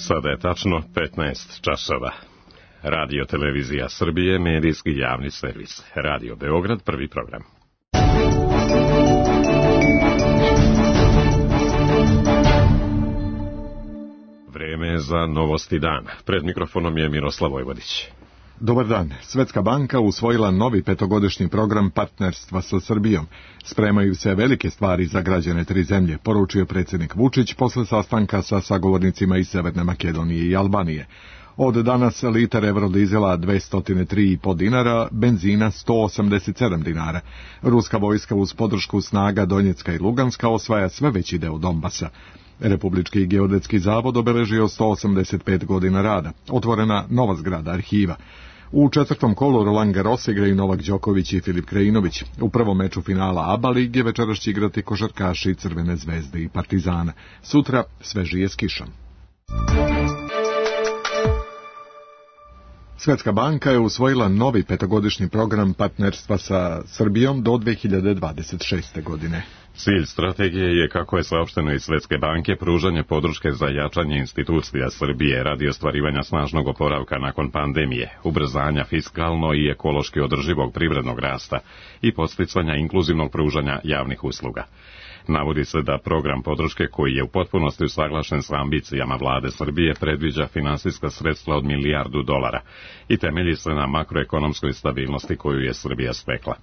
Sada je tačno 15 časova. Radio Televizija Srbije, medijski javni servis. Radio Beograd, prvi program. Vreme za novosti dana. Pred mikrofonom je Miroslav Vojvodić. Dobar dan. Svetska banka usvojila novi petogodišnji program partnerstva sa Srbijom. Spremaju se velike stvari za građane tri zemlje, poručio predsjednik Vučić posle sastanka sa sagovornicima iz Severne Makedonije i Albanije. Od danas litar eurodizela 203,5 dinara, benzina 187 dinara. Ruska vojska uz podršku snaga Donjecka i Luganska osvaja sve veći deo Donbasa. Republički geodetski zavod obeležio 185 godina rada. Otvorena nova zgrada arhiva. U četvrtom kolu Roland Garros igraju Novak Đoković i Filip Krajinović. U prvom meču finala ABA lige večeras će igrati košarkaši Crvene zvezde i Partizana. Sutra svežije s kišom. Svetska banka je usvojila novi petogodišnji program partnerstva sa Srbijom do 2026. godine. Cilj strategije je, kako je saopšteno iz Svetske banke, pružanje podrške za jačanje institucija Srbije radi ostvarivanja snažnog oporavka nakon pandemije, ubrzanja fiskalno i ekološki održivog privrednog rasta i podsticanja inkluzivnog pružanja javnih usluga. Navodi se da program podrške, koji je u potpunosti usaglašen sa ambicijama vlade Srbije, predviđa finansijska sredstva od $1 milijardu i temelji se na makroekonomskoj stabilnosti koju je Srbija stekla.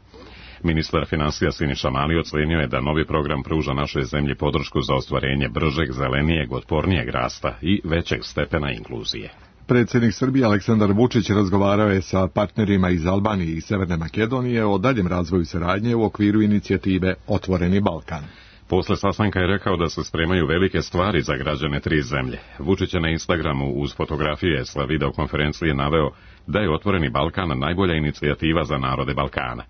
Ministar finansija Siniša Mali ocenio je da novi program pruža našoj zemlji podršku za ostvarenje bržeg, zelenijeg, otpornijeg rasta i većeg stepena inkluzije. Predsjednik Srbije Aleksandar Vučić razgovarao je sa partnerima iz Albanije i Severne Makedonije o daljem razvoju saradnje u okviru inicijative Otvoreni Balkan. Posle sastanka je rekao da se spremaju velike stvari za građane tri zemlje. Vučić je na Instagramu uz fotografije sa videokonferencije naveo da je Otvoreni Balkan najbolja inicijativa za narode Balkana.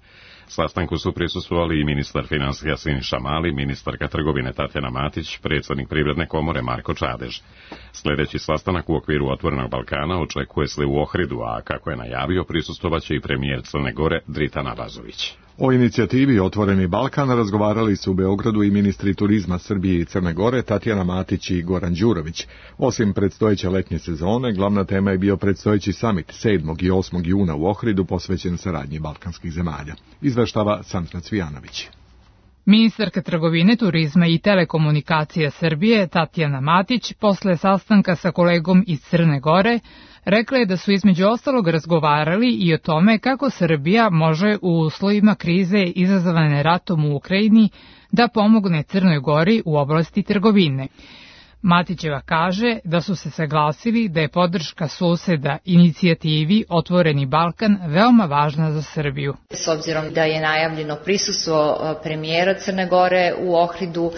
Sastanku su prisustvovali i ministar finansija Siniša Mali, ministarka trgovine Tatjana Matić, predsjednik Privredne komore Marko Čadež. Sljedeći sastanak u okviru Otvorenog Balkana očekuje se u Ohridu, a kako je najavio, prisustvovaće i premijer Crne Gore Dritan Abazović. O inicijativi Otvoreni Balkan razgovarali su u Beogradu i ministri turizma Srbije i Crne Gore Tatjana Matić i Goran Đurović. Osim predstojeće letnje sezone, glavna tema je bio predstojeći samit 7. i 8. juna u Ohridu posvećen saradnji balkanskih zemalja. Izveštava Sandra Cvijanović. Ministarka trgovine, turizma i telekomunikacija Srbije Tatjana Matić posle sastanka sa kolegom iz Crne Gore rekla je da su između ostalog razgovarali i o tome kako Srbija može u uslovima krize izazvane ratom u Ukrajini da pomogne Crnoj Gori u oblasti trgovine. Matićeva kaže da su se saglasili da je podrška suseda inicijativi Otvoreni Balkan veoma važna za Srbiju. S obzirom da je najavljeno prisustvo premijera Crne Gore u Ohridu,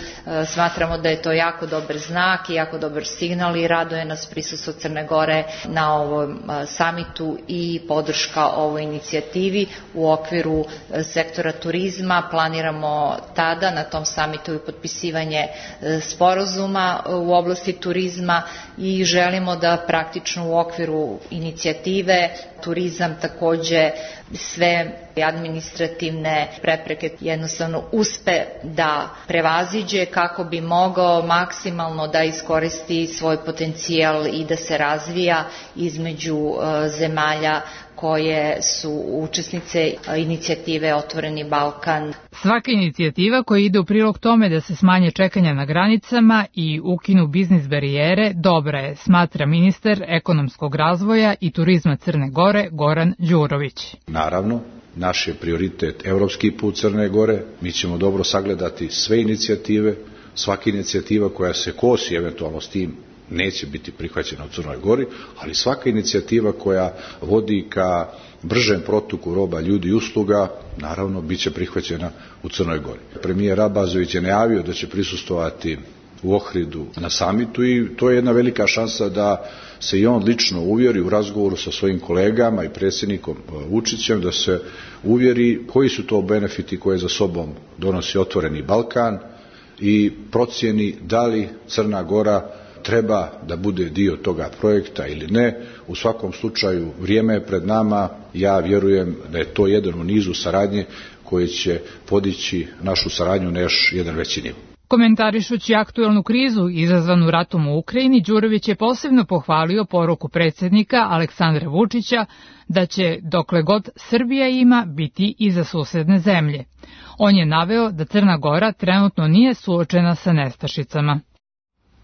smatramo da je to jako dobar znak i jako dobar signal i raduje nas prisustvo Crne Gore na ovom samitu i podrška ovoj inicijativi u okviru sektora turizma. Planiramo tada na tom samitu i potpisivanje sporazuma u oblasti turizma i želimo da praktično u okviru inicijative turizam takođe sve administrativne prepreke jednostavno uspe da prevaziđe kako bi mogao maksimalno da iskoristi svoj potencijal i da se razvija između zemalja koje su učesnice inicijative Otvoreni Balkan. Svaka inicijativa koja ide u prilog tome da se smanje čekanja na granicama i ukinu biznis barijere dobra je, smatra ministar ekonomskog razvoja i turizma Crne Gore Goran Đurović. Naravno, naš je prioritet evropski put Crne Gore. Mi ćemo dobro sagledati sve inicijative, svaka inicijativa koja se kosi eventualno s tim neće biti prihvaćena u Crnoj Gori, ali svaka inicijativa koja vodi ka bržem protoku roba, ljudi i usluga, naravno, bit će prihvaćena u Crnoj Gori. Premijer Abazović je najavio da će prisustvovati u Ohridu na samitu i to je jedna velika šansa da se i on lično uvjeri u razgovoru sa svojim kolegama i predsjednikom Vučićem, da se uvjeri koji su to benefiti koje za sobom donosi Otvoreni Balkan i procjeni da li Crna Gora treba da bude dio toga projekta ili ne. U svakom slučaju vrijeme je pred nama, ja vjerujem da je to jedan u nizu saradnje koje će podići našu saradnju na još jedan veći nivo. Komentarišući aktuelnu krizu izazvanu ratom u Ukrajini, Đurović je posebno pohvalio poruku predsjednika Aleksandra Vučića da će, dokle god Srbija ima, biti i za susedne zemlje. On je naveo da Crna Gora trenutno nije suočena sa nestašicama.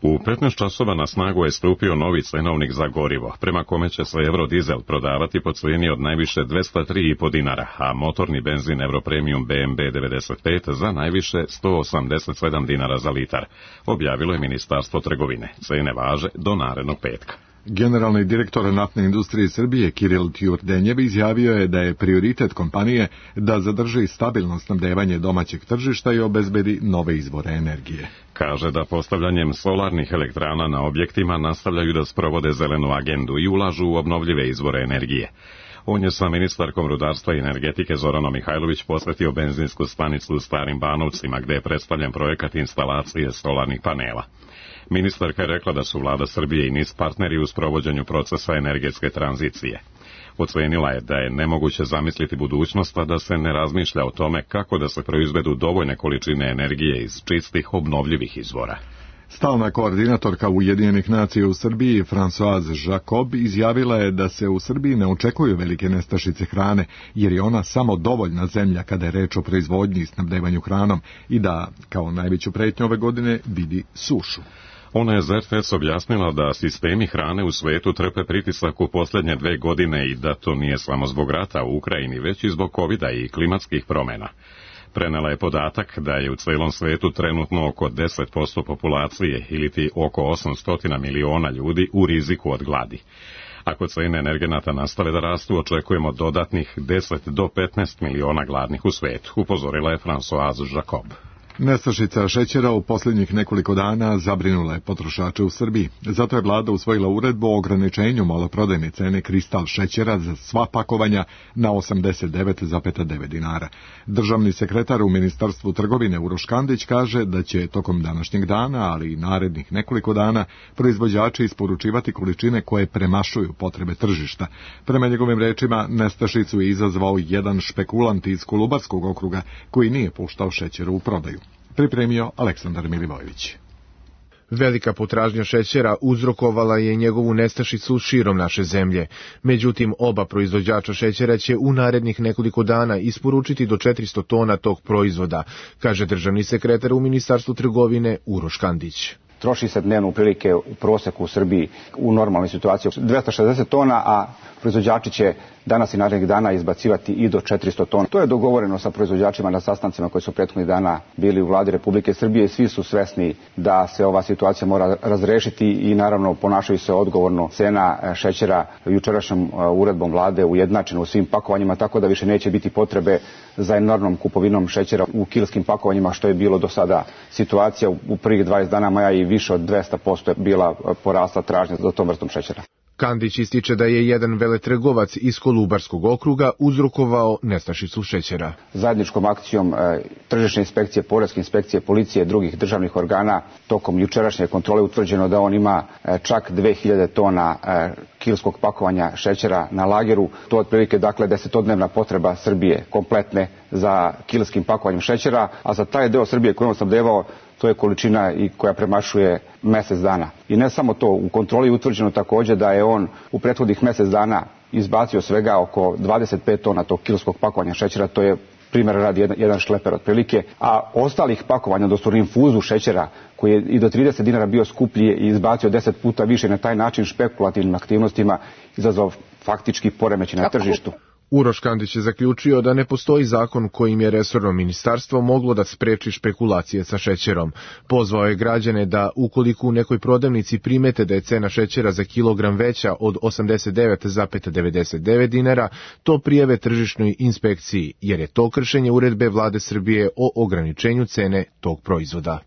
U 15 časova na snagu je stupio novi cenovnik za gorivo, prema kome će se Eurodizel prodavati po cijeni od najviše 203,5 dinara, a motorni benzin Europremium BMB 95 za najviše 187 dinara za litar, objavilo je Ministarstvo trgovine. Cene važe do narednog petka. Generalni direktor naftne industrije Srbije Kiril Tjurdenjev izjavio je da je prioritet kompanije da zadrži stabilno snabdevanje domaćeg tržišta i obezbedi nove izvore energije. Kaže da postavljanjem solarnih elektrana na objektima nastavljaju da sprovode zelenu agendu i ulažu u obnovljive izvore energije. On je sa ministarkom rudarstva i energetike Zoranom Mihajlović posvetio benzinsku stanicu u Starim Banovcima, gde je predstavljen projekat instalacije solarnih panela. Ministarka je rekla da su vlada Srbije i NIS partneri u sprovođenju procesa energetske tranzicije. Ocenila je da je nemoguće zamisliti budućnost, a da se ne razmišlja o tome kako da se proizvedu dovoljne količine energije iz čistih obnovljivih izvora. Stalna koordinatorka Ujedinjenih nacija u Srbiji, Françoise Jacob, izjavila je da se u Srbiji ne očekuju velike nestašice hrane, jer je ona samo dovoljna zemlja kada je reč o proizvodnji i snabdevanju hranom i da, kao najveću pretnju ove godine, vidi sušu. Ona je ZFS objasnila da sistemi hrane u svetu trpe pritisak u posljednje 2 godine i da to nije samo zbog rata u Ukrajini, već i zbog covida i klimatskih promjena. Prenela je podatak da je u celom svetu trenutno oko 10% populacije ili ti oko 800 miliona ljudi u riziku od gladi. Ako cene energenata nastave da rastu, očekujemo dodatnih 10 do 15 miliona gladnih u svetu, upozorila je Françoise Jacob. Nestašica šećera u posljednjih nekoliko dana zabrinula je potrošače u Srbiji. Zato je vlada usvojila uredbu o ograničenju maloprodajne cene kristal šećera za sva pakovanja na 89,9 dinara. Državni sekretar u Ministarstvu trgovine Uroš Kandić kaže da će tokom današnjeg dana, ali i narednih nekoliko dana, proizvođači isporučivati količine koje premašuju potrebe tržišta. Prema njegovim rečima, nestašicu je izazvao jedan špekulant iz Kolubarskog okruga koji nije puštao šećer u prodaju. Pripremio Aleksandar Milivojević. Velika potražnja šećera uzrokovala je njegovu nestašicu širom naše zemlje. Međutim, oba proizvođača šećera će u narednih nekoliko dana isporučiti do 400 tona tog proizvoda, kaže državni sekretar u Ministarstvu trgovine Uroš Kandić. Troši se dnevno prilike u proseku u Srbiji u normalnoj situaciji 260 tona, a proizvođači će danas i narednih dana izbacivati i do 400 tona. To je dogovoreno sa proizvođačima na sastancima koji su prethodnih dana bili u vladi Republike Srbije i svi su svesni da se ova situacija mora razrešiti i naravno ponašaju se odgovorno. Cena šećera jučerašnjom uredbom vlade ujednačena u svim pakovanjima, tako da više neće biti potrebe za enormnom kupovinom šećera u kilskim pakovanjima, što je bilo do sada situacija. U prvih 20 dana maja i više od 200% je bila porasla tražnja za tom vrstom šećera. Kandić ističe da je jedan veletrgovac iz Kolubarskog okruga uzrokovao nestašicu šećera. Zajedničkom akcijom tržišne inspekcije, poreske inspekcije, policije i drugih državnih organa tokom jučerašnje kontrole utvrđeno da on ima čak 2000 tona kilskog pakovanja šećera na lageru. To je otprilike dakle 10-dnevna potreba Srbije kompletne za kilskim pakovanjem šećera, a za taj deo Srbije koji on snabdevao to je količina i koja premašuje mjesec dana. I ne samo to, u kontroli je utvrđeno također da je on u prethodnih mjesec dana izbacio svega oko 25 tona tog kilskog pakovanja šećera, to je primjer radi jedan šleper otprilike, a ostalih pakovanja, odnosno infuzu šećera koji je i do 30 dinara bio skuplji i izbacio 10 puta više i na taj način špekulativnim aktivnostima izazvao faktički poremećaj na tržištu. Uroš Kandić je zaključio da ne postoji zakon kojim je resorno ministarstvo moglo da spreči špekulacije sa šećerom. Pozvao je građane da, ukoliko u nekoj prodavnici primete da je cena šećera za kilogram veća od 89,99 dinara, to prijave tržišnoj inspekciji, jer je to kršenje uredbe vlade Srbije o ograničenju cene tog proizvoda.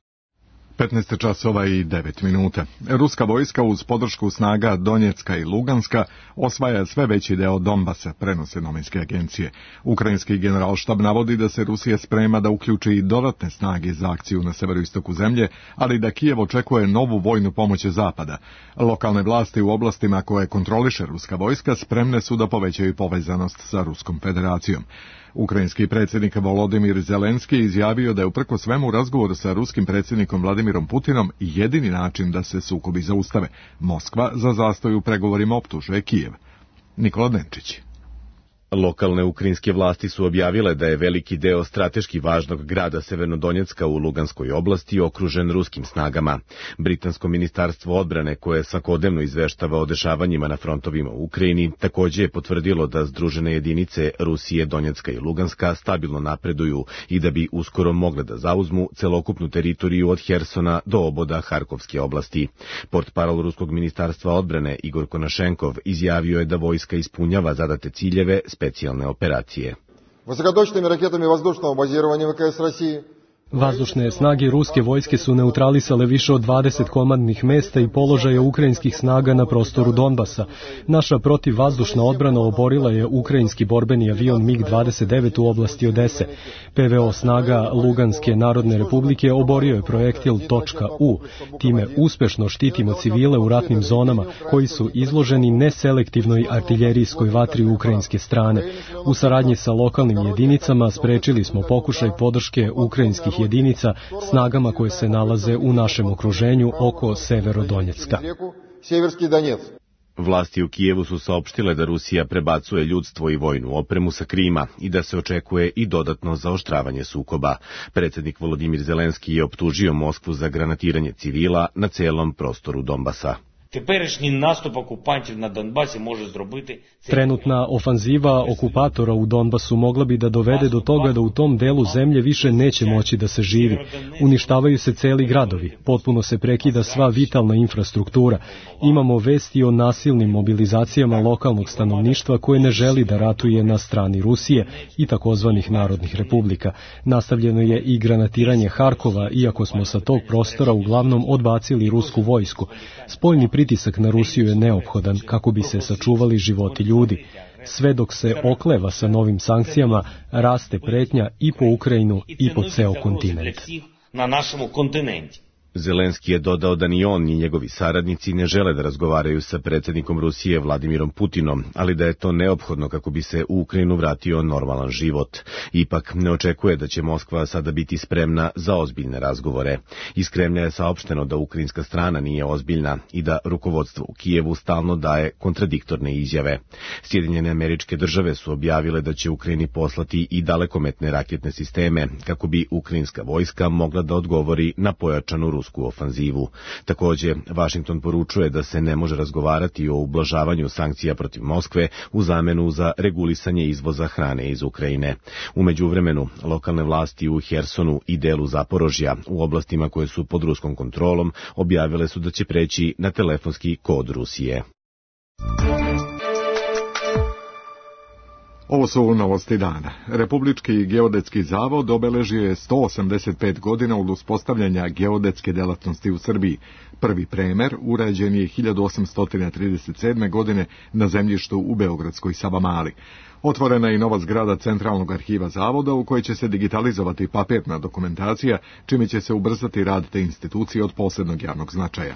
15 časova i 9 minuta. Ruska vojska uz podršku snaga Donjecka i Luganska osvaja sve veći deo Donbasa, prenose novinske agencije. Ukrajinski generalštab navodi da se Rusija sprema da uključi i dodatne snage za akciju na severoistoku zemlje, ali da Kijev očekuje novu vojnu pomoć Zapada. Lokalne vlasti u oblastima koje kontroliše ruska vojska spremne su da povećaju povezanost sa Ruskom federacijom. Ukrajinski predsjednik Volodimir Zelenski izjavio da je uprkos svemu razgovor sa ruskim predsjednikom Vladimirom Putinom jedini način da se sukobi zaustave. Moskva za zastoj u pregovorima optužuje Kijev. Nikola Denčić. Lokalne ukrajinske vlasti su objavile da je veliki deo strateški važnog grada Severnodonjecka u Luganskoj oblasti okružen ruskim snagama. Britansko ministarstvo odbrane, koje svakodnevno izveštava o dešavanjima na frontovima u Ukrajini, također je potvrdilo da združene jedinice Rusije, Donjecka i Luganska stabilno napreduju i da bi uskoro mogle da zauzmu celokupnu teritoriju od Hersona do oboda Harkovske oblasti. Portparol ruskog ministarstva odbrane Igor Konašenkov izjavio je da vojska ispunjava zadate ciljeve specijalne operacije. Высокоточными ракетами воздушного базирования ВКС России Vazdušne snage ruske vojske su neutralisale više od 20 komandnih mesta i položaja ukrajinskih snaga na prostoru Donbasa. Naša protivvazdušna odbrana oborila je ukrajinski borbeni avion MiG-29 u oblasti Odese. PVO snaga Luganske narodne republike oborio je projektil .U. Time uspešno štitimo civile u ratnim zonama koji su izloženi neselektivnoj artiljerijskoj vatri ukrajinske strane. U saradnji sa lokalnim jedinicama sprečili smo pokušaj podrške ukrajinskih jedinica snagama koje se nalaze u našem okruženju oko Severodonjecka. Vlasti u Kijevu su saopštile da Rusija prebacuje ljudstvo i vojnu opremu sa Krima i da se očekuje i dodatno zaoštravanje sukoba. Predsjednik Volodimir Zelenski je optužio Moskvu za granatiranje civila na celom prostoru Donbasa. Теперішній наступ окупантів на Донбасі може зробити... Trenutna ofanziva okupatora u Donbasu mogla bi da dovede do toga da u tom delu zemlje više neće moći da se živi. Uništavaju se celi gradovi, potpuno se prekida sva vitalna infrastruktura. Imamo vesti o nasilnim mobilizacijama lokalnog stanovništva koje ne želi da ratuje na strani Rusije i takozvanih narodnih republika. Nastavljeno je i granatiranje Harkova, iako smo sa tog prostora uglavnom odbacili rusku vojsku. Spoljni pritisak na Rusiju je neophodan kako bi se sačuvali životi ljudi. Sve dok se okleva sa novim sankcijama, raste pretnja i po Ukrajinu i po ceo kontinent. Na našem kontinentu. Zelenski je dodao da ni on ni njegovi saradnici ne žele da razgovaraju sa predsjednikom Rusije Vladimirom Putinom, ali da je to neophodno kako bi se u Ukrajinu vratio normalan život. Ipak ne očekuje da će Moskva sada biti spremna za ozbiljne razgovore. Iz Kremlja je saopšteno da ukrajinska strana nije ozbiljna i da rukovodstvo u Kijevu stalno daje kontradiktorne izjave. Sjedinjene Američke Države su objavile da će Ukrajini poslati i dalekometne raketne sisteme kako bi ukrajinska vojska mogla da odgovori na pojačanu rusku ofanzivu. Također, Vašington poručuje da se ne može razgovarati o ublažavanju sankcija protiv Moskve u zamenu za regulisanje izvoza hrane iz Ukrajine. U međuvremenu, lokalne vlasti u Hersonu i delu Zaporožja, u oblastima koje su pod ruskom kontrolom, objavile su da će preći na telefonski kod Rusije. Ovo su novosti dana. Republički geodetski zavod obeležio je 185 godina od uspostavljanja geodetske delatnosti u Srbiji. Prvi premer urađen je 1837. godine na zemljištu u Beogradskoj Savamali. Otvorena je i nova zgrada Centralnog arhiva zavoda u kojoj će se digitalizovati papirna dokumentacija, čime će se ubrzati rad te institucije od posebnog javnog značaja.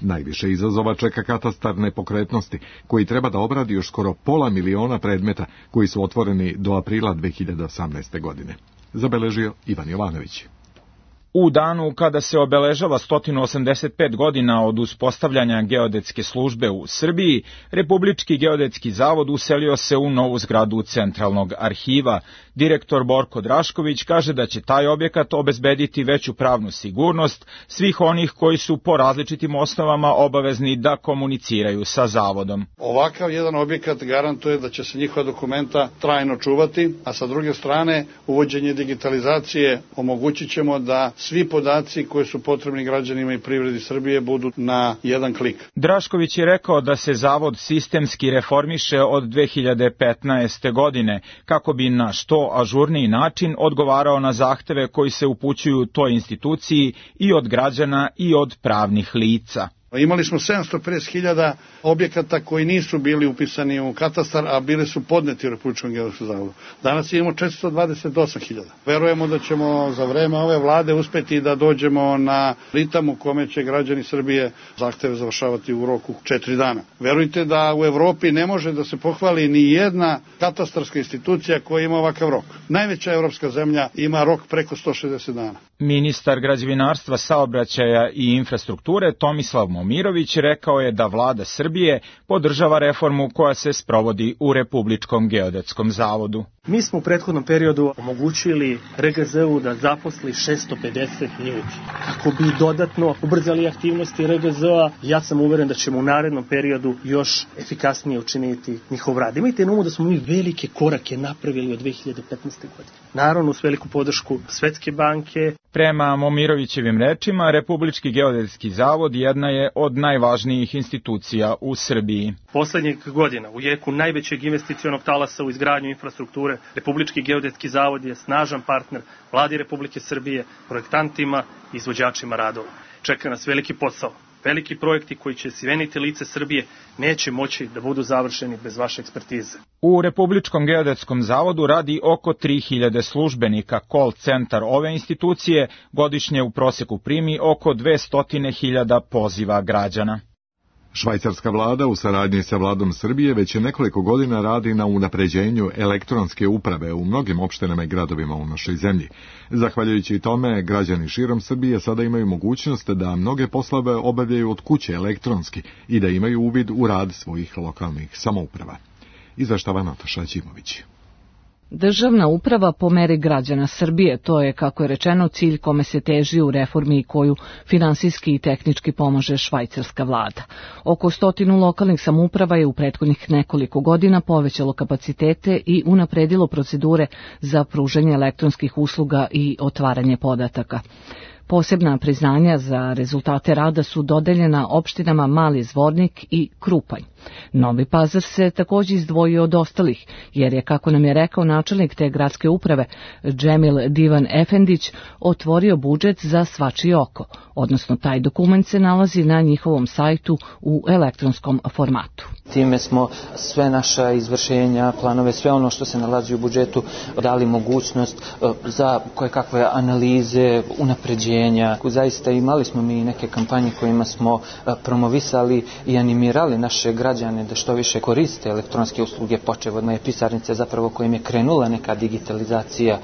Najviše izazova čeka katastar nepokretnosti, koji treba da obradi još skoro 500.000 predmeta koji su otvoreni do aprila 2018. godine. Zabeležio Ivan Jovanović. U danu kada se obeležava 185 godina od uspostavljanja geodetske službe u Srbiji, Republički geodetski zavod uselio se u novu zgradu Centralnog arhiva. Direktor Borko Drašković kaže da će taj objekat obezbediti veću pravnu sigurnost svih onih koji su po različitim osnovama obavezni da komuniciraju sa zavodom. Ovakav jedan objekat garantuje da će se njihova dokumenta trajno čuvati, a sa druge strane uvođenje digitalizacije omogućit ćemo da svi podaci koji su potrebni građanima i privredi Srbije budu na jedan klik. Drašković je rekao da se zavod sistemski reformiše od 2015. godine kako bi na što što ažurniji način odgovarao na zahteve koji se upućuju toj instituciji i od građana i od pravnih lica. Imali smo 750.000 objekata koji nisu bili upisani u katastar, a bili su podneti u Republičkom geodetskom zavodu. Danas imamo 428.000. Verujemo da ćemo za vreme ove vlade uspeti da dođemo na ritam u kome će građani Srbije zahteve završavati u roku 4 dana. Verujte da u Evropi ne može da se pohvali ni jedna katastarska institucija koja ima ovakav rok. Najveća evropska zemlja ima rok preko 160 dana. Ministar građevinarstva, saobraćaja i infrastrukture Tomislav Momirović rekao je da vlada Srbije podržava reformu koja se sprovodi u Republičkom geodetskom zavodu. Mi smo u prethodnom periodu omogućili RGZ-u da zaposli 650 ljudi. Kako bi dodatno ubrzali aktivnosti RGZ-a, ja sam uveren da ćemo u narednom periodu još efikasnije učiniti njihov rad. Imajte na umu da smo mi velike korake napravili od 2015. godine. Naravno, uz veliku podršku Svetske banke. Prema Momirovićevim rečima, Republički geodetski zavod jedna je od najvažnijih institucija u Srbiji. Poslednjih godina, u jeku najvećeg investicionog talasa u izgradnju infrastrukture, Republički geodetski zavod je snažan partner vladi Republike Srbije, projektantima i izvođačima radova. Čeka nas veliki posao. Veliki projekti koji će sveniti lice Srbije neće moći da budu završeni bez vaše ekspertize. U Republičkom geodetskom zavodu radi oko 3000 službenika. Call centar ove institucije godišnje u proseku primi oko 200.000 poziva građana. Švajcarska vlada u saradnji sa vladom Srbije već nekoliko godina radi na unapređenju elektronske uprave u mnogim opštinama i gradovima u našoj zemlji. Zahvaljujući tome, građani širom Srbije sada imaju mogućnost da mnoge poslove obavljaju od kuće elektronski i da imaju uvid u rad svojih lokalnih samouprava. Izveštava Nataša Ćimović. Državna uprava po meri građana Srbije, to je, kako je rečeno, cilj kome se teži u reformi i koju finansijski i tehnički pomaže švajcarska vlada. Oko 100 lokalnih samouprava je u prethodnih nekoliko godina povećalo kapacitete i unapredilo procedure za pružanje elektronskih usluga i otvaranje podataka. Posebna priznanja za rezultate rada su dodeljena opštinama Mali Zvornik i Krupanj. Novi Pazar se također izdvojio od ostalih, jer je, kako nam je rekao načelnik te gradske uprave, Džemil Divan Efendić, otvorio budžet za svačije oko, odnosno taj dokument se nalazi na njihovom sajtu u elektronskom formatu. Time smo sve naša izvršenja, planove, sve ono što se nalazi u budžetu dali mogućnost za kojekakve analize, unapređenja. Zaista imali smo mi neke kampanje kojima smo promovisali i animirali naše građane da što više koriste elektronske usluge, počev od moje pisarnice zapravo kojim je krenula neka digitalizacija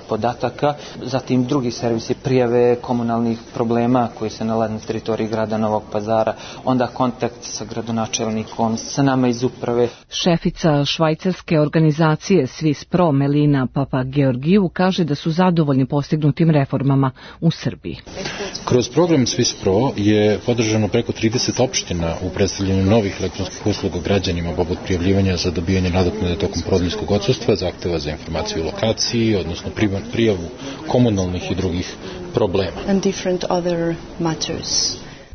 podataka, zatim drugi servisi prijave komunalnih problema koji se nalaze na teritoriji grada Novog Pazara, onda kontakt sa gradonačelnikom, sa nama iz uprave. Šefica švajcarske organizacije Swiss Pro Melina Papageorgiju kaže da su zadovoljni postignutim reformama u Srbiji. Kroz program Swiss Pro je podržano preko 30 opština u predstavljanju novih elektronskih usluga građanima, poput prijavljivanja za dobijanje nadoknade tokom porodilskog odsustva, zahteva za informaciju o lokaciji, odnosno prijavu komunalnih i drugih problema.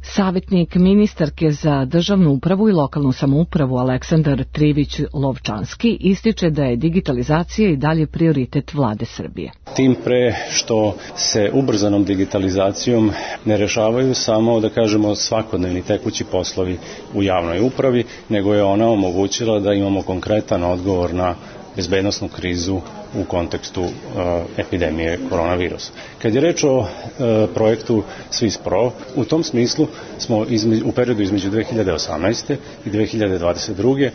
Savjetnik ministarke za državnu upravu i lokalnu samoupravu Aleksandar Trivić-Lovčanski ističe da je digitalizacija i dalje prioritet vlade Srbije. Tim pre što se ubrzanom digitalizacijom ne rešavaju samo, da kažemo, svakodnevni tekući poslovi u javnoj upravi, nego je ona omogućila da imamo konkretan odgovor na bezbednosnu krizu u kontekstu epidemije koronavirusa. Kad je reč o projektu Swiss Pro, u tom smislu smo u periodu između 2018. i 2022.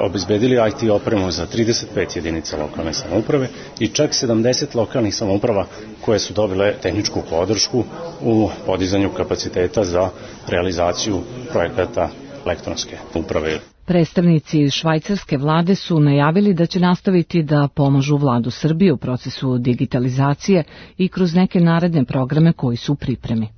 obezbedili IT opremu za 35 jedinica lokalne samouprave i čak 70 lokalnih samouprava koje su dobile tehničku podršku u podizanju kapaciteta za realizaciju projekata elektronske uprave. Predstavnici švajcarske vlade su najavili da će nastaviti da pomažu vladu Srbije u procesu digitalizacije i kroz neke naredne programe koji su u pripremi.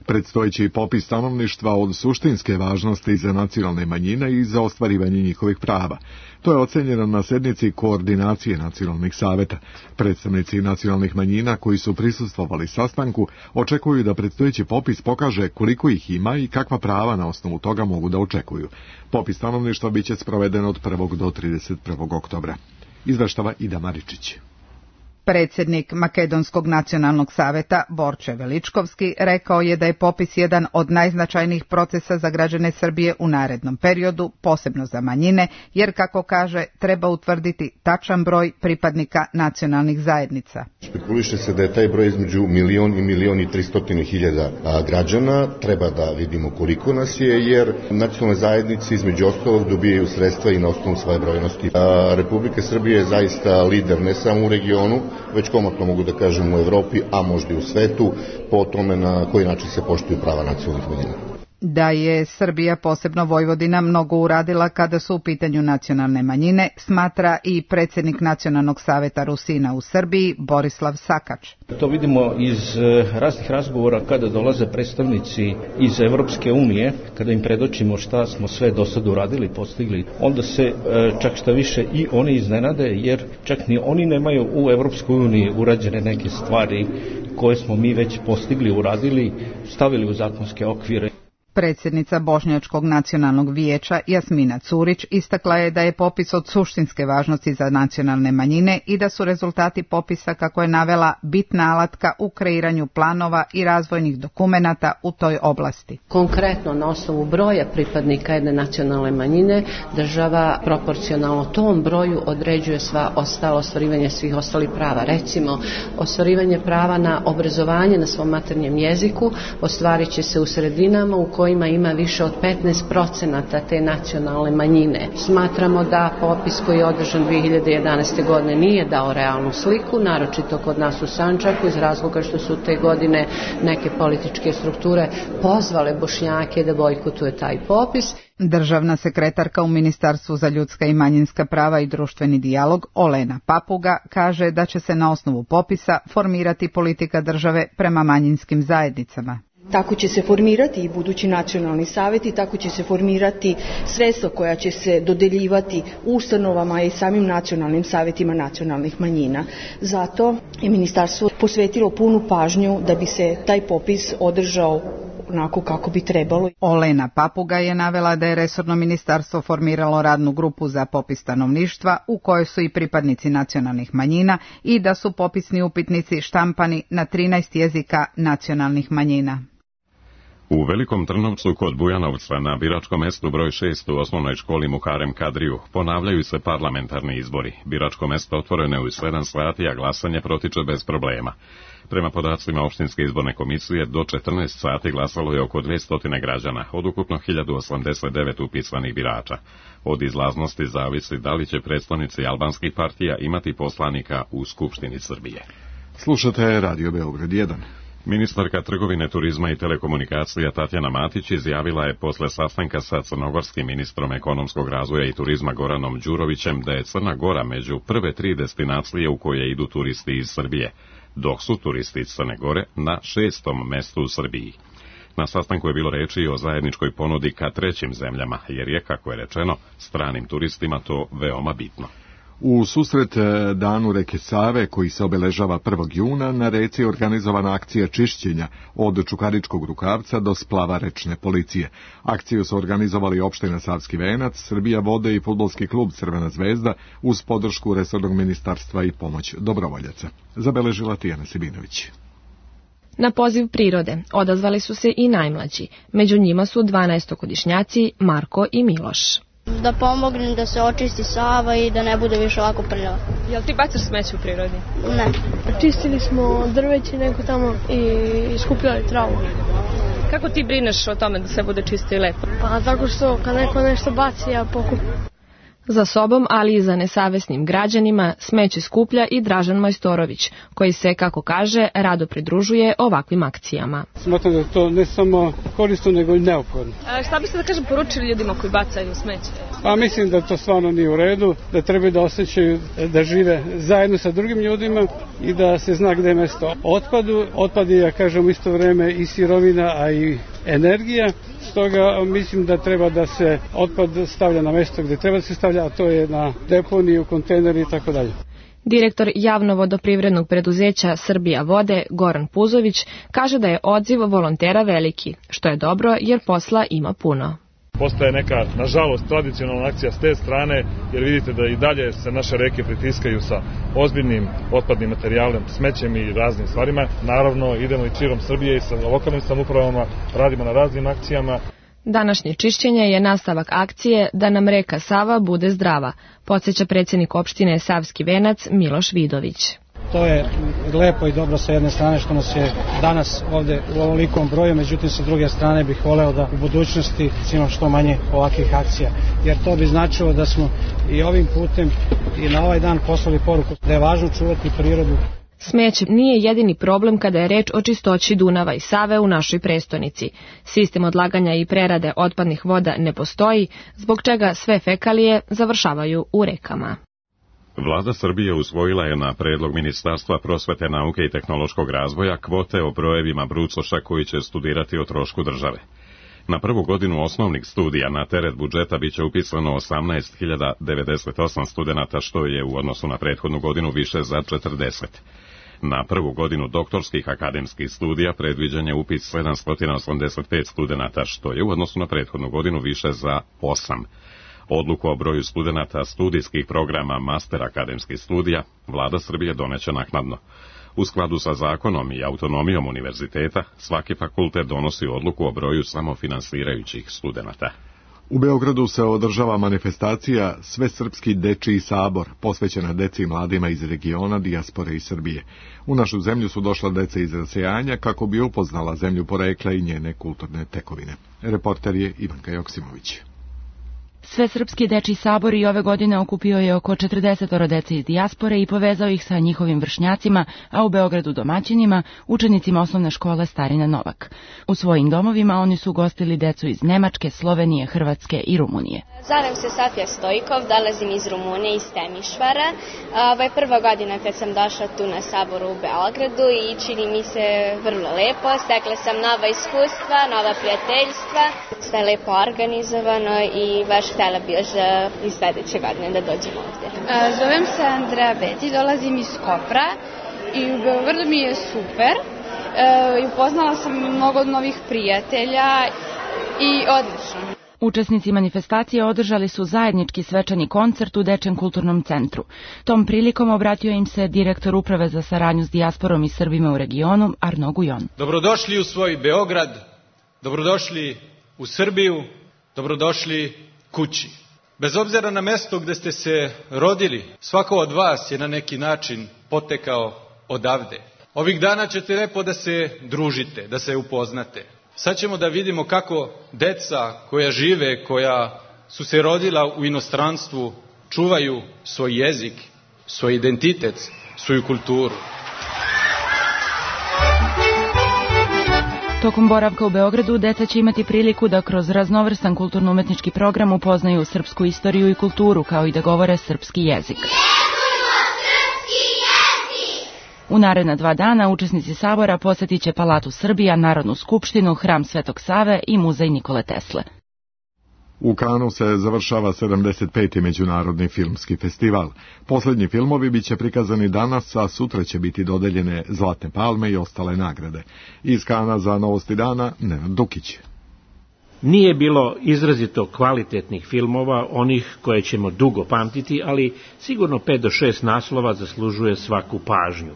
Predstojeći popis stanovništva od suštinske važnosti za nacionalne manjine i za ostvarivanje njihovih prava. To je ocenjeno na sednici koordinacije nacionalnih saveta. Predstavnici nacionalnih manjina koji su prisustvovali sastanku očekuju da predstojeći popis pokaže koliko ih ima i kakva prava na osnovu toga mogu da očekuju. Popis stanovništva biće sproveden od 1. do 31. oktobra. izveštava Ida Maričić. Predsjednik Makedonskog nacionalnog saveta Borče Veličkovski rekao je da je popis jedan od najznačajnijih procesa za građane Srbije u narednom periodu, posebno za manjine, jer, kako kaže, treba utvrditi tačan broj pripadnika nacionalnih zajednica. Špekuliše se da je taj broj između 1.300.000 građana. Treba da vidimo koliko nas je, jer nacionalne zajednice između ostalog dobijaju sredstva i na osnovu svoje brojnosti. Republika Srbije je zaista lider ne samo u regionu, već komotno mogu da kažem u Evropi, a možda i u svetu, po tome na koji način se poštuju prava nacionalnih manjina. Da je Srbija, posebno Vojvodina, mnogo uradila kada su u pitanju nacionalne manjine, smatra i predsjednik Nacionalnog saveta Rusina u Srbiji, Borislav Sakač. To vidimo iz raznih razgovora kada dolaze predstavnici iz Evropske unije, kada im predočimo šta smo sve do sada uradili, postigli, onda se čak šta više i oni iznenade, jer čak ni oni nemaju u Evropskoj uniji urađene neke stvari koje smo mi već postigli, uradili, stavili u zakonske okvire. Predsjednica Bošnjačkog nacionalnog vijeća Jasmina Curić istakla je da je popis od suštinske važnosti za nacionalne manjine i da su rezultati popisa, kako je navela, bitna alatka u kreiranju planova i razvojnih dokumenata u toj oblasti. Konkretno, na osnovu broja pripadnika jedne nacionalne manjine, država proporcionalno tom broju određuje sva ostala ostvarivanje svih ostalih prava. Recimo, ostvarivanje prava na obrazovanje na svom maternjem jeziku ostvarit će se u sredinama u kojima ima više od 15% te nacionalne manjine. Smatramo da popis koji je održan 2011. godine nije dao realnu sliku, naročito kod nas u Sandžaku, iz razloga što su te godine neke političke strukture pozvale Bošnjake da bojkotuju taj popis. Državna sekretarka u Ministarstvu za ljudska i manjinska prava i društveni dijalog Olena Papuga kaže da će se na osnovu popisa formirati politika države prema manjinskim zajednicama. Tako će se formirati i budući nacionalni savjeti, tako će se formirati sredstva koja će se dodeljivati ustanovama i samim nacionalnim savjetima nacionalnih manjina. Zato je ministarstvo posvetilo punu pažnju da bi se taj popis održao onako kako bi trebalo. Olena Papuga je navela da je resorno ministarstvo formiralo radnu grupu za popis stanovništva u kojoj su i pripadnici nacionalnih manjina i da su popisni upitnici štampani na 13 jezika nacionalnih manjina. U Velikom Trnovcu kod Bujanovca na biračkom mestu broj 6 u osnovnoj školi Muharem Kadriju ponavljaju se parlamentarni izbori. Biračko mesto otvoreno je u 7 sati, a glasanje protiče bez problema. Prema podacima opštinske izborne komisije, do 14 sati glasalo je oko 200 građana, od ukupno 1089 upisanih birača. Od izlaznosti zavisi da li će predstavnici albanskih partija imati poslanika u Skupštini Srbije. Slušate Radio Beograd 1. Ministarka trgovine, turizma i telekomunikacija Tatjana Matić izjavila je posle sastanka sa crnogorskim ministrom ekonomskog razvoja i turizma Goranom Đurovićem da je Crna Gora među prve 3 destinacije u koje idu turisti iz Srbije, dok su turisti iz Crne Gore na 6. mestu u Srbiji. Na sastanku je bilo reči o zajedničkoj ponudi ka trećim zemljama, jer je, kako je rečeno, stranim turistima to veoma bitno. U susret danu reke Save, koji se obeležava 1. juna, na reci je organizovana akcija čišćenja od Čukaričkog rukavca do splava rečne policije. Akciju su organizovali opština Savski Venac, Srbija vode i fudbalski klub Crvena zvezda uz podršku resornog ministarstva i pomoć dobrovoljaca. Zabeležila Tijana Sibinović. Na poziv prirode odazvali su se i najmlađi. Među njima su 12-godišnjaci Marko i Miloš. Da pomognem da se očisti Sava i da ne bude više ovako prljava. Jel ti bacaš smeće u prirodi? Ne. Čistili smo drveće neko tamo i skupljali travu. Kako ti brineš o tome da sve bude čisto i lepo? Pa tako što kad neko nešto baci, ja pokupim. Za sobom, ali i za nesavesnim građanima, smeće skuplja i Dražan Majstorović, koji se, kako kaže, rado pridružuje ovakvim akcijama. Smatram da to ne samo korisno, nego i neophodno. Šta biste, da kažem, poručili ljudima koji bacaju smeće? Pa mislim da to stvarno nije u redu, da treba da osjećaju da žive zajedno sa drugim ljudima i da se zna gde je mesto otpadu. Otpad je, ja kažem, u isto vreme i sirovina, a i energija. Stoga mislim da treba da se otpad stavlja na mesto gde treba da se stavlja, a to je na deponiju, kontejneri i tako dalje. Direktor javno-vodoprivrednog preduzeća Srbija vode, Goran Puzović, kaže da je odziv volontera veliki, što je dobro jer posla ima puno. postaje neka, nažalost, tradicionalna akcija s te strane, jer vidite da i dalje se naše reke pritiskaju sa ozbiljnim otpadnim materijalom, smećem i raznim stvarima. Naravno, idemo i širom Srbije i sa lokalnim samoupravama, radimo na raznim akcijama. Današnje čišćenje je nastavak akcije Da nam reka Sava bude zdrava, podsjeća predsjednik opštine Savski Venac Miloš Vidović. To je lepo i dobro sa jedne strane što nas je danas ovde u ovolikom broju, međutim sa druge strane bih voleo da u budućnosti imamo što manje ovakvih akcija, jer to bi značilo da smo i ovim putem i na ovaj dan poslali poruku da je važno čuvati prirodu. Smeće nije jedini problem kada je reč o čistoći Dunava i Save u našoj prestonici. Sistem odlaganja i prerade otpadnih voda ne postoji, zbog čega sve fekalije završavaju u rekama. Vlada Srbije usvojila je na predlog Ministarstva prosvete, nauke i tehnološkog razvoja kvote o brojevima brucoša koji će studirati o trošku države. Na prvu godinu osnovnih studija na teret budžeta biće upisano 18.098 studenata, što je u odnosu na prethodnu godinu više za 40. Na prvu godinu doktorskih akademskih studija predviđen je upis 785 studenata, što je u odnosu na prethodnu godinu više za 8. Odluku o broju studenata studijskih programa master akademskih studija Vlada Srbije doneće naknadno. U skladu sa zakonom i autonomijom univerziteta, svaki fakultet donosi odluku o broju samofinansirajućih studenata. U Beogradu se održava manifestacija Svesrpski dečiji sabor, posvećena deci i mladima iz regiona, dijaspore i Srbije. U našu zemlju su došla deca iz rasejanja kako bi upoznala zemlju porekla i njene kulturne tekovine. Reporter je Ivanka Joksimović. Svesrpski dečiji sabor i ove godine okupio je oko 40 dece iz dijaspore i povezao ih sa njihovim vršnjacima, a u Beogradu domaćinima, učenicima osnovne škole Starina Novak. U svojim domovima oni su gostili decu iz Nemačke, Slovenije, Hrvatske i Rumunije. Zovem se Sofija Stojkov, dolazim iz Rumunije, iz Temišvara. Ovo je prva godina kad sam došla tu na saboru u Beogradu i čini mi se vrlo lepo. Stekla sam nova iskustva, nova prijateljstva. Sve je lepo organizovano i baš htjela bi još i sledeće godine da dođem ovde. Zovem se Andreja Beti, dolazim iz Kopra i u Beogradu mi je super. Upoznala sam mnogo novih prijatelja i odlično. Učesnici manifestacije održali su zajednički svečani koncert u Dečjem kulturnom centru. Tom prilikom obratio im se direktor Uprave za saradnju s dijasporom i Srbima u regionu, Arno Gujon. Dobrodošli u svoj Beograd, dobrodošli u Srbiju, dobrodošli kući. Bez obzira na mesto gde ste se rodili, svako od vas je na neki način potekao odavde. Ovih dana ćete lepo da se družite, da se upoznate. Sad ćemo da vidimo kako deca koja žive, koja su se rodila u inostranstvu, čuvaju svoj jezik, svoj identitet, svoju kulturu. Tokom boravka u Beogradu deca će imati priliku da kroz raznovrstan kulturno-umetnički program upoznaju srpsku istoriju i kulturu, kao i da govore srpski jezik. U naredna 2 dana učesnici sabora posjetit će Palatu Srbija, Narodnu skupštinu, Hram Svetog Save i Muzej Nikole Tesle. U Kanu se završava 75. međunarodni filmski festival. Poslednji filmovi biće prikazani danas, a sutra će biti dodeljene Zlatne palme i ostale nagrade. Iz Kana za Novosti dana, Nenad Dukić. Nije bilo izrazito kvalitetnih filmova, onih koje ćemo dugo pamtiti, ali sigurno 5 do 6 naslova zaslužuje svaku pažnju.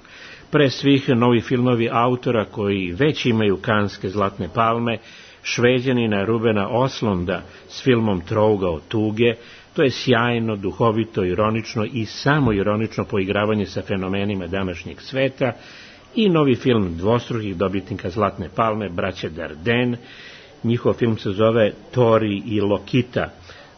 Pre svih novi filmovi autora koji već imaju kanske Zlatne palme, Šveđanina Rubena Oslunda s filmom Trougao tuge. To je sjajno, duhovito, ironično i samo ironično poigravanje sa fenomenima današnjeg sveta. I novi film dvostrukih dobitnika Zlatne palme, braće Darden. Njihov film se zove Tori i Lokita.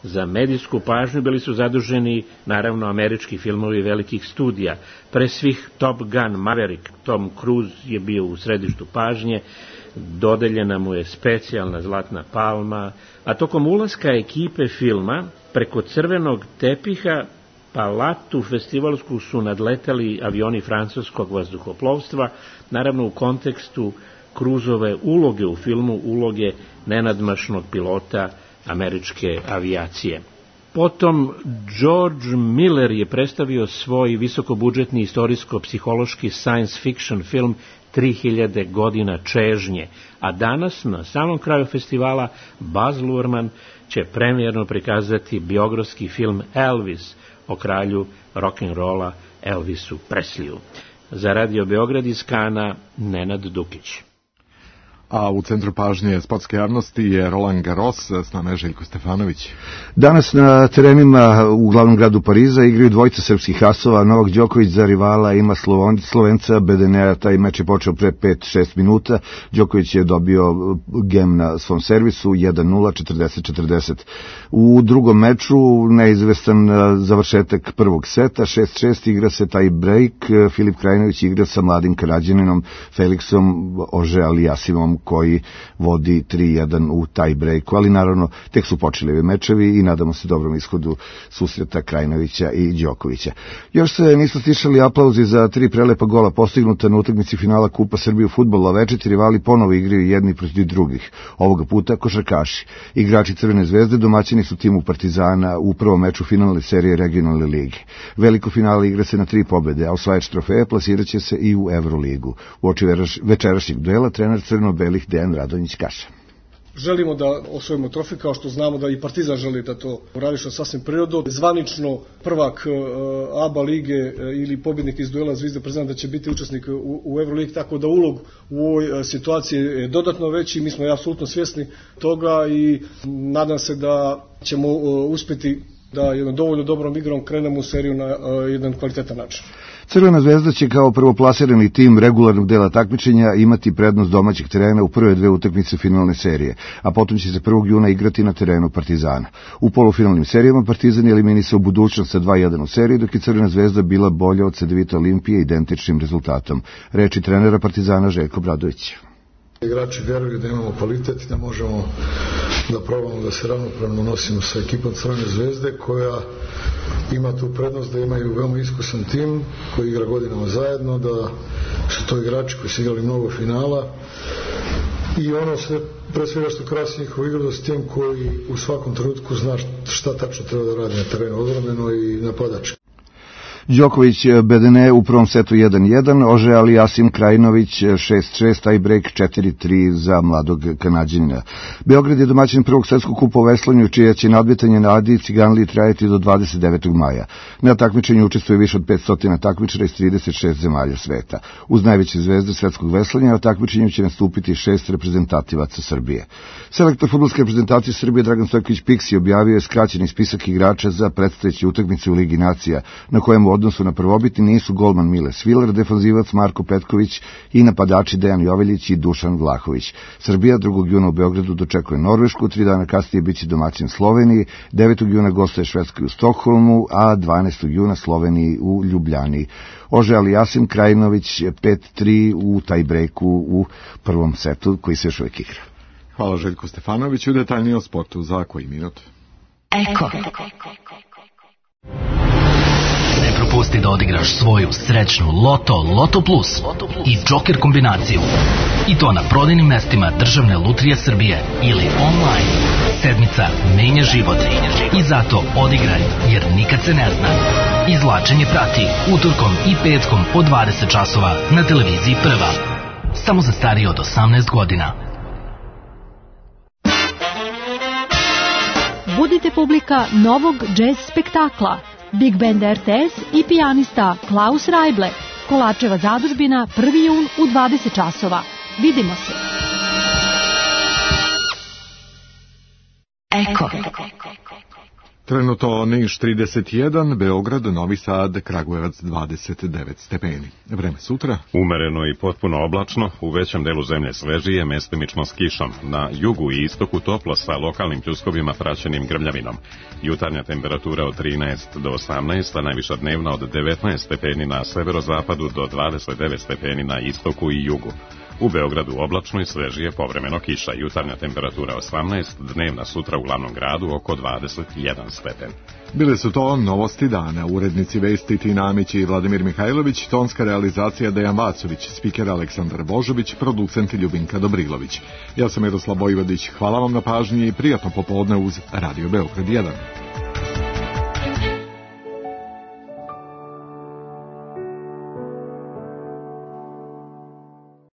Za medijsku pažnju bili su zaduženi, naravno, američki filmovi velikih studija. Pre svih Top Gun Maverick, Tom Cruise je bio u središtu pažnje, dodeljena mu je specijalna Zlatna palma, a tokom ulaska ekipe filma preko crvenog tepiha Palatu festivalsku su nadletali avioni francuskog vazduhoplovstva, naravno u kontekstu Cruiseove uloge u filmu, uloge nenadmašnog pilota američke avijacije. Potom George Miller je predstavio svoj visokobudžetni istorijsko-psihološki science fiction film 3000 godina čežnje, a danas na samom kraju festivala Baz Luhrmann će premijerno prikazati biografski film Elvis o kralju rock'n'rolla Elvisu Presleyu. Za Radio Beograd iz Kana, Nenad Dukić. A u centru pažnje sportske javnosti je Roland Garros, s nama je Željko Stefanović. Danas na terenima u glavnom gradu Pariza igraju dvojica srpskih asova. Novak Đoković za rivala ima Slovenca Bedenea. Taj meč je počeo pre 5-6 minuta. Đoković je dobio gem na svom servisu 1-0, 40-40. U drugom meču neizvestan završetak prvog seta, 6-6, igra se taj break. Filip Krajinović igra sa mladim Karađaninom Felixom Auger-Aliassimeom koji vodi 3-1 u taj breaku, ali naravno tek su počeli ovi mečevi i nadamo se dobrom ishodu susreta Krajinovića i Đokovića. Još se nisu stišali aplauzi za 3 prelepa gola postignuta na utakmici finala Kupa Srbije u fudbalu, a večeti rivali ponovo igraju jedni protiv drugih. Ovoga puta košarkaši. Igrači Crvene zvezde domaćini su timu Partizana u prvom meču finalne serije regionalne lige. Veliko finale igra se na 3 pobede, a osvajač trofeja plasirat će se i u Evroligu. U oči večerašnjeg duela trener crno-belih Dejan Radonjić kaže: Želimo da osvojimo trofej, kao što znamo da i Partizan želi da to uradi, što sasvim prirodno. Zvanično prvak ABA lige ili pobjednik iz duela Zvezde Partizan da će biti učesnik u Euroligi, tako da ulog u ovoj situaciji je dodatno veći. Mi smo apsolutno svjesni toga i nadam se da ćemo uspjeti da jednom dovoljno dobrom igrom krenemo u seriju na jedan kvalitetan način. Crvena zvezda će kao prvoplasirani tim regularnog dela takmičenja imati prednost domaćeg terena u prve 2 utakmice finalne serije, a potom će se 1. juna igrati na terenu Partizana. U polufinalnim serijama Partizan je eliminisao Budućnost sa 2-1 u seriji, dok je Crvena zvezda bila bolja od Cedevita Olimpije identičnim rezultatom. Reči trenera Partizana Željko Obradović. Igrači vjeruju da imamo kvalitet i da možemo da probamo da se ravnopravno nosimo sa ekipom Crvene zvezde, koja ima tu prednost da imaju veoma iskusan tim koji igra godinama zajedno, da su to igrači koji su igrali mnogo finala i ono sve pre svega što krasi njihovu igru, da su tim koji u svakom trenutku zna šta tačno treba da radi na terenu, odbrambeno i napadački. Đoković Bedene u prvom setu 1-1, Auger-Aliassime Krajinović 6-6, taj break 4-3 za mladog Kanađanina. Beograd je domaćin prvog svetskog kupa u veslanju, čije će nadmetanje na Adi Ciganliji trajati do 29. maja. Na takmičenju učestvuje više od 500 takmičara iz 36 zemalja sveta. Uz najveće zvezde svetskog veslanja na takmičenju će nastupiti 6 reprezentativaca Srbije. Selektor fudbalske reprezentacije Srbije Dragan Stojković Piksi objavio je skraćeni spisak igrača za predstojeće utakmice u Ligi nacija, na kojem u odnosu na prvobitni nisu golman Mile Sviler, defanzivac Marko Petković i napadači Dejan Joveljić i Dušan Vlahović. Srbija 2. juna u Beogradu dočekuje Norvešku, 3 dana kasnije biće domaćin Sloveniji, 9. juna gostuje Švedskoj u Stokholmu, a 12. juna Sloveniji u Ljubljani. Auger-Aliassime Krajinović 5-3 u tajbreku u prvom setu koji se još uvijek igra. Hvala Željko Stefanoviću, detaljnije o sportu za koji minut. Eko. Ne propusti da odigraš svoju srećnu Loto Plus i Joker kombinaciju. I to na prodajnim mestima Državne lutrije Srbije ili online. Sedmica menja život i zato odigraj, jer nikad se ne zna. Izvlačenje prati utorkom i petkom od 20 časova na televiziji Prva. Samo za starije od 18 godina. Budite publika novog džez spektakla. Big Band RTS i pijanista Klaus Rajble. Kolačeva zadužbina 1. jun u 20 časova. Vidimo se. Eko. Trenutno Niš 31, Beograd, Novi Sad, Kragujevac 29 stepeni. Vreme sutra. Umereno i potpuno oblačno, u većem delu zemlje svežije, mestimično s kišom. Na jugu i istoku toplo sa lokalnim pljuskovima praćenim grmljavinom. Jutarnja temperatura od 13 do 18, a najviša dnevna od 19 stepeni na severozapadu do 29 stepeni na istoku i jugu. U Beogradu oblačno i svežije, povremeno kiša. Jutarnja temperatura 18, dnevna sutra u glavnom gradu oko 21 stepen. Bile su to novosti dana. Urednici vesti Tina Amić i Vladimir Mihajlović, tonska realizacija Dejan Vacović, spiker Aleksandar Božović, producent Ljubinka Dobrilović. Ja sam Miroslav Vojvodić. Hvala vam na pažnji i prijatno popodne uz Radio Beograd 1.